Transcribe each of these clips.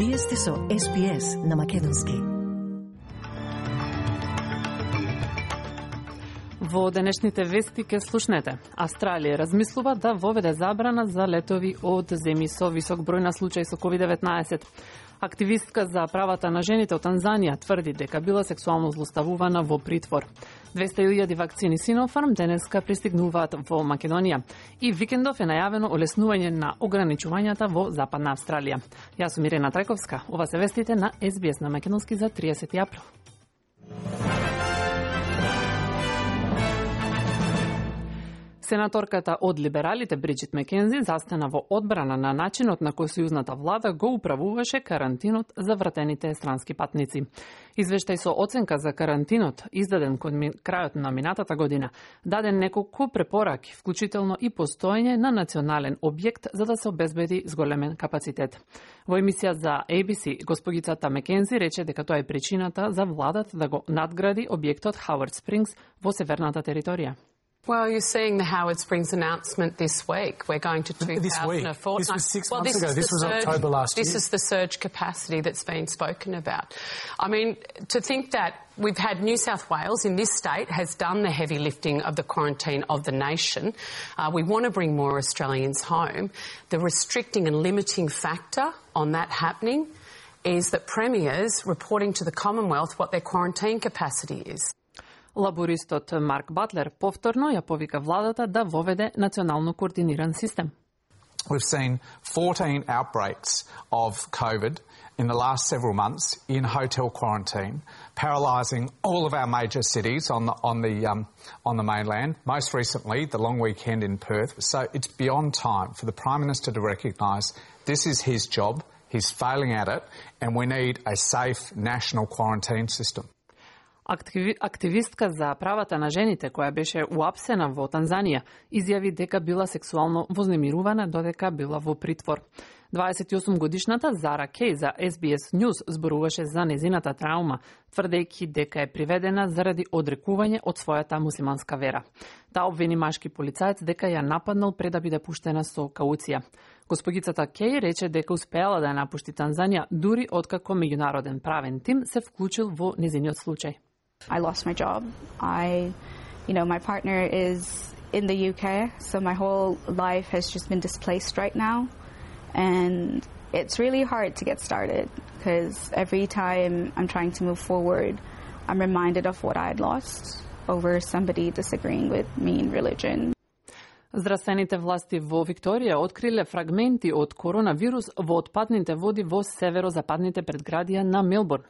Вие сте со SBS на македонски. Во денешните вести ке слушнете. Австралија размислува да воведе забрана за летови од земји со висок број на случаи со COVID-19. Активистка за правата на жените од Танзанија тврди дека била сексуално злоставувана во притвор. 200.000 вакцини Sinopharm денеска пристигнуваат во Македонија и викендов е најавено олеснување на ограничувањата во Западна Австралија. Јас сум Ирена Трајковска. Ова се вестите на SBS на македонски за 30 април. Сенаторката од либералите Бриджит Мекензи застана во одбрана на начинот на кој сојузната влада го управуваше карантинот за вратените странски патници. Извештај со оценка за карантинот, издаден кон крајот на минатата година, даде неколку препораки, вклучително и постоење на национален објект за да се обезбеди зголемен капацитет. Во емисија за ABC, госпогицата Мекензи рече дека тоа е причината за владата да го надгради објектот Howard Springs во северната територија. Well, you're seeing the Howard Springs announcement this week. We're going to 2,000 a fortnight. This was 6 months ago. This was October last year. This is the surge capacity that's been spoken about. I mean, to think that we've had New South Wales in this state has done the heavy lifting of the quarantine of the nation. We want to bring more Australians home. The restricting and limiting factor on that happening is that premiers reporting to the Commonwealth what their quarantine capacity is. Лабористот Марк Батлер повторно ја повика владата да воведе национално координиран систем. We've seen 14 outbreaks of COVID in the last several months in hotel quarantine, paralysing all of our major cities on the mainland. Most recently, the long weekend in Perth. So it's beyond time for the Prime Minister to recognise this is his job. He's failing at it, and we need a safe national quarantine system. Активистка за правата на жените, која беше уапсена во Танзанија, изјави дека била сексуално вознемирувана додека била во притвор. 28-годишната Зара Кей за SBS News зборуваше за незината траума, тврдејќи дека е приведена заради одрекување од својата муслиманска вера. Таа обвини машки полицаец дека ја нападнал пред да биде пуштена со кауција. Госпогицата Кей рече дека успеала да ја напушти Танзанија дури откако меѓународен правен тим се вклучил во незиниот случај. I lost my job. My partner is in the UK, so my whole life has just been displaced right now. And it's really hard to get started because every time I'm trying to move forward, I'm reminded of what I had lost over somebody disagreeing with me in religion. Здравствените власти во Викторија откриле фрагменти од коронавирус во отпадните води во северозападните предградија на Мелбурн.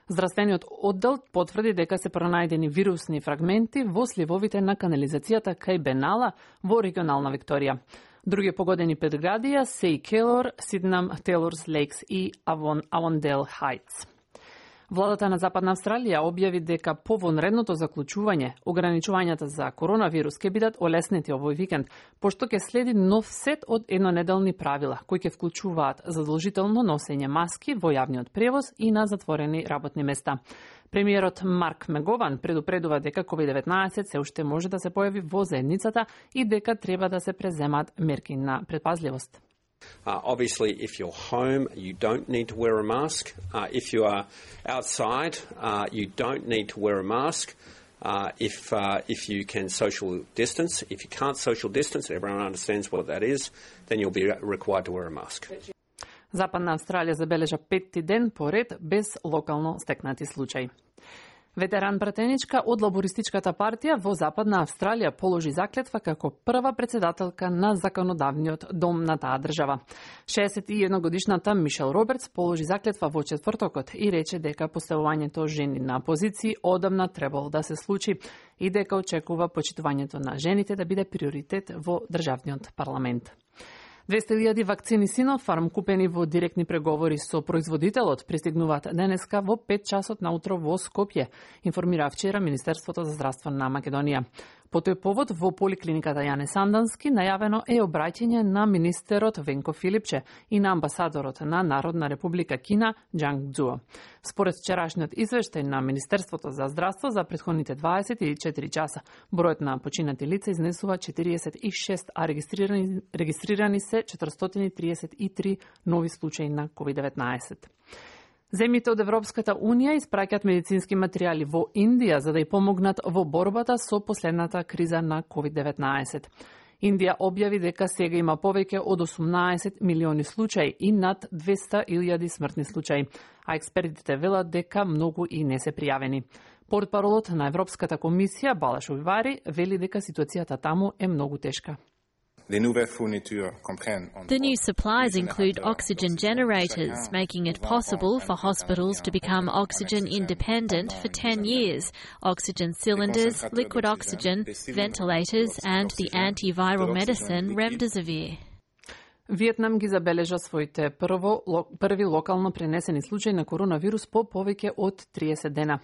Здравствениот оддел потврди дека се пронајдени вирусни фрагменти во сливовите на канализацијата кај Бенала во регионална Викторија. Други погодени предградија се и Келор, Сиднам, Тейлорс Лейкс и Авондел Хајтс. Владата на Западна Австралија објави дека по вонредното заклучување, ограничувањата за коронавирус ќе бидат олеснети овој викенд, пошто ќе следи нов сет од еднонеделни правила, кои ќе вклучуваат задолжително носење маски во јавниот превоз и на затворени работни места. Премиерот Марк Мегован предупредува дека COVID-19 се уште може да се појави во заедницата и дека треба да се преземат мерки на предпазливост. Obviously, if you're home, you don't need to wear a mask. If you are outside, you don't need to wear a mask. If you can social distance, if you can't social distance, everyone understands what that is, then you'll be required to wear a mask. Западна Австралија забележа 5-ти ден поред без локално стекнати случаи. Ветеран пратеничка од Лабористичката партија во Западна Австралија положи заклетва како прва председателка на законодавниот дом на таа држава. 61-годишната Мишел Робертс положи заклетва во четвртокот и рече дека поставувањето жени на позиции одамна требало да се случи и дека очекува почитувањето на жените да биде приоритет во државниот парламент. 200.000 вакцини Sinopharm купени во директни преговори со производителот пристигнуваат денеска во 5 часот наутро во Скопје, информира вчера Министерството за здравство на Македонија. По тој повод во поликлиниката Јане Сандански најавено е обраќање на министерот Венко Филипче и на амбасадорот на Народна република Кина Џанг Џуо. Според вчерашниот извештај на Министерството за здравство за претходните 24 часа, бројот на починати лица изнесува 46, а регистрирани се 433 нови случаи на COVID-19. Земјите од Европската Унија испраќаат медицински материјали во Индија за да ја помогнат во борбата со последната криза на COVID-19. Индија објави дека сега има повеќе од 18 милиони случаи и над 200.000 смртни случаи, а експертите велат дека многу и не се пријавени. Портпаролот на Европската комисија Балаш Увари вели дека ситуацијата таму е многу тешка. The new supplies include oxygen generators, making it possible for hospitals to become oxygen independent for 10 years, oxygen cylinders, liquid oxygen, ventilators and the antiviral medicine Remdesivir. Виетнам ги забележа своите први локално пренесени случаи на коронавирус по повеќе од 30 дена.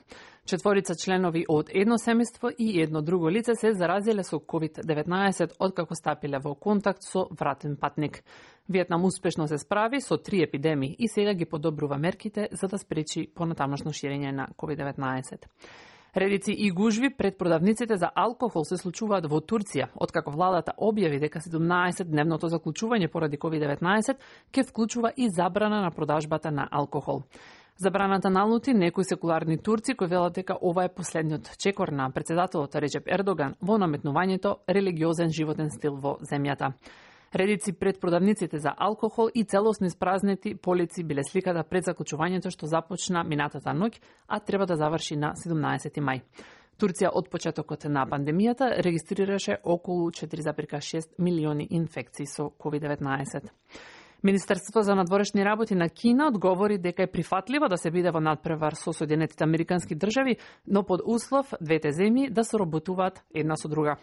4 членови од едно семејство и едно друго лице се заразиле со COVID-19 откако стапиле во контакт со вратен патник. Виетнам успешно се справи со 3 епидемии и сега ги подобрува мерките за да спречи понатамошно ширење на COVID-19. Редици и гужви пред продавниците за алкохол се случуваат во Турција, откако владата објави дека 17-дневното заклучување поради COVID-19 ќе вклучува и забрана на продажбата на алкохол. Забраната налути некои секуларни турци кои велат дека ова е последниот чекор на председателот Реџеп Ердоган во наметнувањето религиозен животен стил во земјата. Редици пред продавниците за алкохол и целосно испразнети полици биле сликата пред заклучувањето што започна минатата ноќ, а треба да заврши на 17 мај. Турција од почетокот на пандемијата регистрираше околу 4,6 милиони инфекции со COVID-19. Министерството за надворешни работи на Кина одговори дека е прифатливо да се биде во надпревар со Соединетите Американски држави, но под услов двете земји да соработуваат една со друга.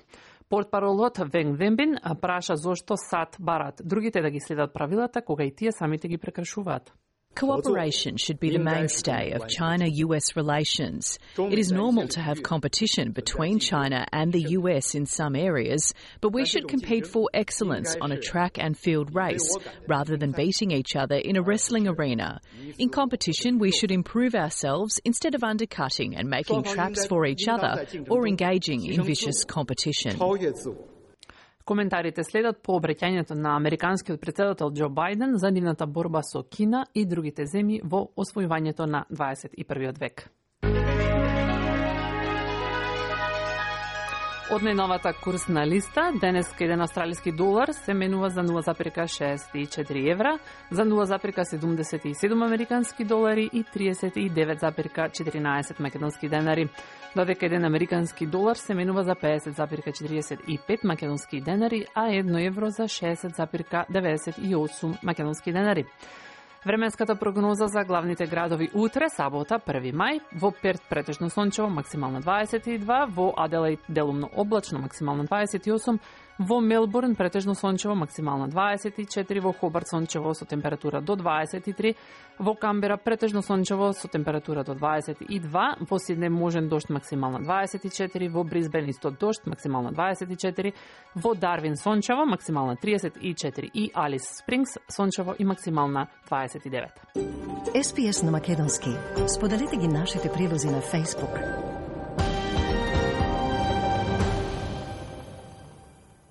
Портпаролот Венг Вембин праша зошто САД барат другите да ги следат правилата кога и тие самите ги прекршуваат. Cooperation should be the mainstay of China-US relations. It is normal to have competition between China and the US in some areas, but we should compete for excellence on a track and field race, rather than beating each other in a wrestling arena. In competition, we should improve ourselves instead of undercutting and making traps for each other or engaging in vicious competition. Коментарите следат по обраќањето на американскиот председател Џо Бајден за нивната борба со Кина и другите земји во освојувањето на 21. век. Од најновата курсна листа, денеска еден австралиски долар се менува за 0,64 евра, за 0,77 американски долари и 39,14 македонски денари. Додека еден американски долар се менува за 50,45 македонски денари, а 1 евро за 60,98 македонски денари. Временската прогноза за главните градови утре, сабота, 1 мај, во Перт претежно сончево, максимално 22, во Аделаид делумно облачно, максимално 28, во Мелбурн претежно сончево, максимално 24, во Хобарт сончево со температура до 23, во Камбера претежно сончево со температура до 22, во Сиднеј можен дожд максимално 24, во Брисбен исто дожд максимално 24, во Дарвин сончево максимално 34 и Алис Спрингс сончево и максимална 29. SPS на македонски. Споделете ги нашите прилози на Facebook.